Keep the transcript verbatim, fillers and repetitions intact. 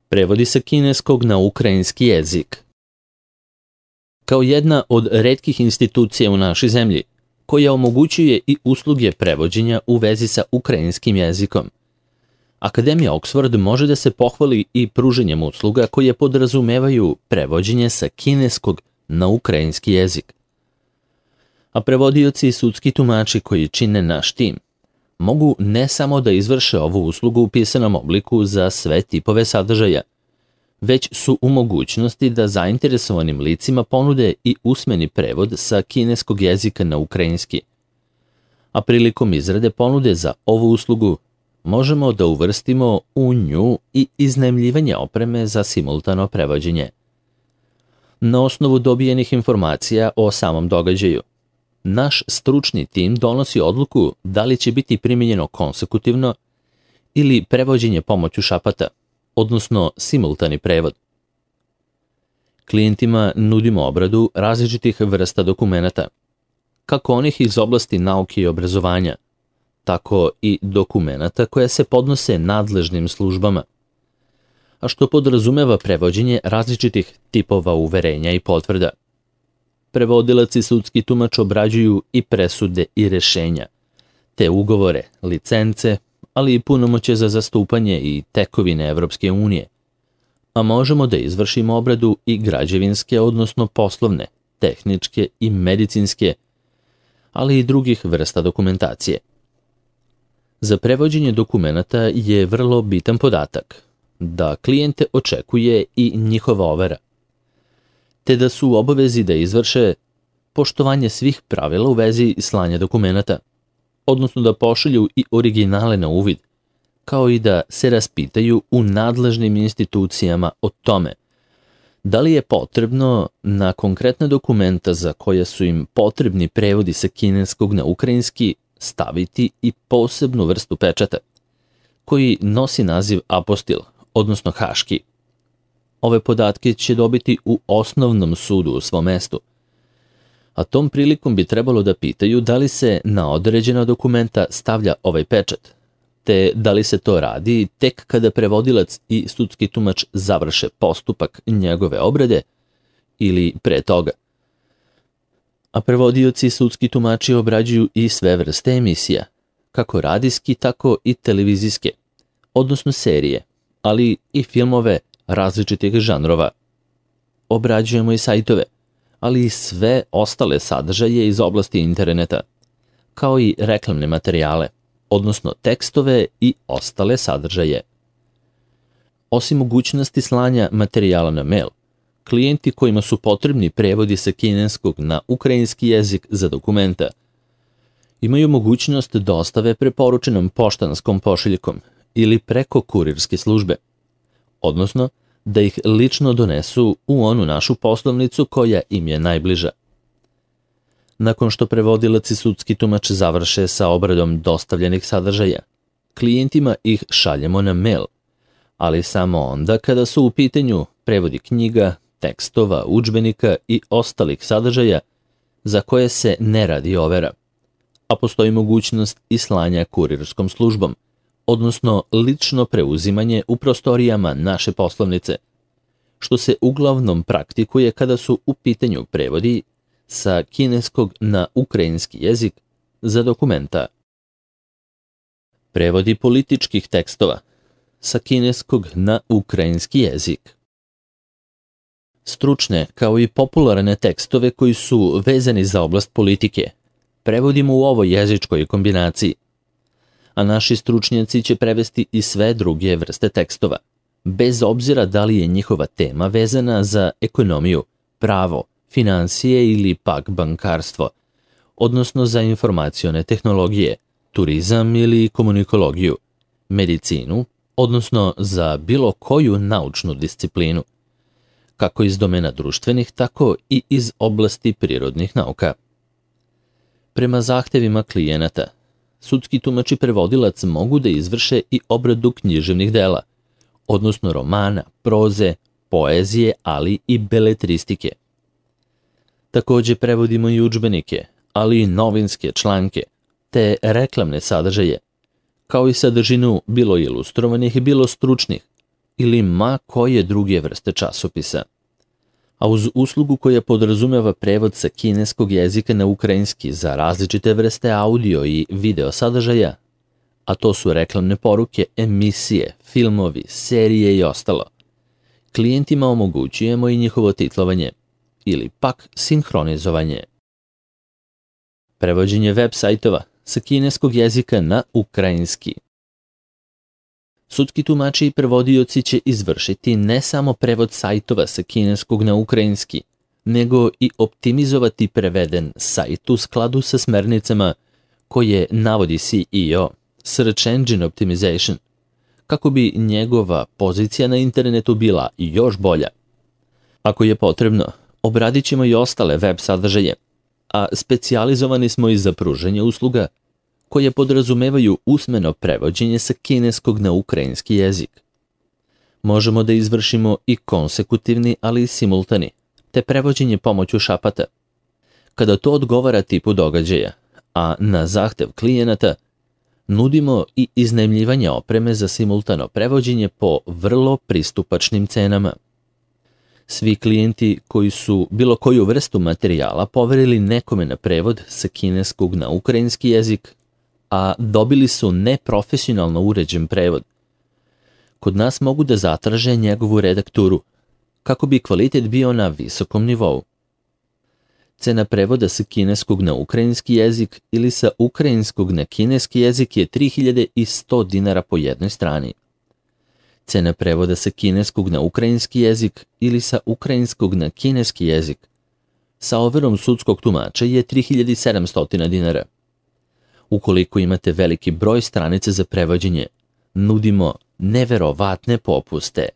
Prevodi sa kineskog na ukrajinski jezik. Kao jedna od retkih institucija u našoj zemlji, koja omogućuje i usluge prevođenja u vezi sa ukrajinskim jezikom, Akademija Oxford može da se pohvali i pruženjem usluga koje podrazumevaju prevođenje sa kineskog na ukrajinski jezik. A prevodioci i sudski tumači koji čine naš tim mogu ne samo da izvrše ovu uslugu u pisanom obliku za sve tipove sadržaja, već su u mogućnosti da zainteresovanim licima ponude i usmeni prevod sa kineskog jezika na ukrajinski. A prilikom izrade ponude za ovu uslugu možemo da uvrstimo u nju i iznajmljivanje opreme za simultano prevođenje. Na osnovu dobijenih informacija o samom događaju, naš stručni tim donosi odluku da li će biti primijenjeno konsekutivno ili prevođenje pomoću šapata, odnosno simultani prevod. Klijentima nudimo obradu različitih vrsta dokumenata, kako onih iz oblasti nauke i obrazovanja, tako i dokumenata koje se podnose nadležnim službama, a što podrazumeva prevođenje različitih tipova uverenja i potvrda. Prevodilac i sudski tumač obrađuju i presude i rešenja, te ugovore, licence, ali i punomoćje za zastupanje i tekovine Evropske unije, a možemo da izvršimo obradu i građevinske, odnosno poslovne, tehničke i medicinske, ali i drugih vrsta dokumentacije. Za prevođenje dokumenata je vrlo bitan podatak da klijente očekuje i njihova overa, te da su u obavezi da izvrše poštovanje svih pravila u vezi slanja dokumenata, odnosno da pošalju i originale na uvid, kao i da se raspitaju u nadležnim institucijama o tome da li je potrebno na konkretna dokumenta za koja su im potrebni prevodi sa kineskog na ukrajinski staviti i posebnu vrstu pečata, koji nosi naziv apostil, odnosno haški. Ove podatke će dobiti u osnovnom sudu u svom mestu, a tom prilikom bi trebalo da pitaju da li se na određena dokumenta stavlja ovaj pečat, te da li se to radi tek kada prevodilac i sudski tumač završe postupak njegove obrade ili pre toga. A prevodioci i sudski tumači obrađuju i sve vrste emisija, kako radijski, tako i televizijske, odnosno serije, ali i filmove različitih žanrova. Obrađujemo i sajtove, ali i sve ostale sadržaje iz oblasti interneta, kao i reklamne materijale, odnosno tekstove i ostale sadržaje. Osim mogućnosti slanja materijala na mail, klijenti kojima su potrebni prevodi sa kineskog na ukrajinski jezik za dokumenta imaju mogućnost dostave preporučenom poštanskom pošiljkom ili preko kurirske službe, odnosno da ih lično donesu u onu našu poslovnicu koja im je najbliža. Nakon što prevodilac i sudski tumač završe sa obradom dostavljenih sadržaja, klijentima ih šaljemo na mail, ali samo onda kada su u pitanju prevodi knjiga, tekstova, udžbenika i ostalih sadržaja za koje se ne radi overa, a postoji mogućnost i slanja kurirskom službom, odnosno lično preuzimanje u prostorijama naše poslovnice, što se uglavnom praktikuje kada su u pitanju prevodi sa kineskog na ukrajinski jezik za dokumenta. Prevodi političkih tekstova sa kineskog na ukrajinski jezik. Stručne kao i popularne tekstove koji su vezani za oblast politike prevodimo u ovoj jezičkoj kombinaciji, a naši stručnjaci će prevesti i sve druge vrste tekstova, bez obzira da li je njihova tema vezana za ekonomiju, pravo, finansije ili pak bankarstvo, odnosno za informacione tehnologije, turizam ili komunikologiju, medicinu, odnosno za bilo koju naučnu disciplinu, kako iz domena društvenih, tako i iz oblasti prirodnih nauka. Prema zahtevima klijenata, sudski tumač i prevodilac mogu da izvrše i obradu književnih dela, odnosno romana, proze, poezije, ali i beletristike. Takođe prevodimo i udžbenike, ali i novinske članke, te reklamne sadržaje, kao i sadržinu bilo ilustrovanih, bilo stručnih, ili ma koje druge vrste časopisa. A uz uslugu koja podrazumeva prevod sa kineskog jezika na ukrajinski za različite vrste audio i video sadržaja, a to su reklamne poruke, emisije, filmovi, serije i ostalo, klijentima omogućujemo i njihovo titlovanje ili pak sinhronizovanje. Prevođenje web sajtova sa kineskog jezika na ukrajinski. Sudski tumači i prevodioci će izvršiti ne samo prevod sajtova sa kineskog na ukrajinski, nego i optimizovati preveden sajt u skladu sa smernicama koje navodi C E O, Search Engine Optimization, kako bi njegova pozicija na internetu bila još bolja. Ako je potrebno, obradit ćemo i ostale web sadržaje, a specijalizovani smo i za pružanje usluga koje podrazumevaju usmeno prevođenje sa kineskog na ukrajinski jezik. Možemo da izvršimo i konsekutivni, ali i simultani, te prevođenje pomoću šapata. Kada to odgovara tipu događaja, a na zahtev klijenata, nudimo i iznajmljivanje opreme za simultano prevođenje po vrlo pristupačnim cenama. Svi klijenti koji su bilo koju vrstu materijala poverili nekome na prevod sa kineskog na ukrajinski jezik, a dobili su neprofesionalno uređen prevod, kod nas mogu da zatraže njegovu redakturu, kako bi kvalitet bio na visokom nivou. Cena prevoda sa kineskog na ukrajinski jezik ili sa ukrajinskog na kineski jezik je tri hiljade sto dinara po jednoj strani. Cena prevoda sa kineskog na ukrajinski jezik ili sa ukrajinskog na kineski jezik sa overom sudskog tumača je tri hiljade sedamsto dinara. Ukoliko imate veliki broj stranica za prevođenje, nudimo neverovatne popuste.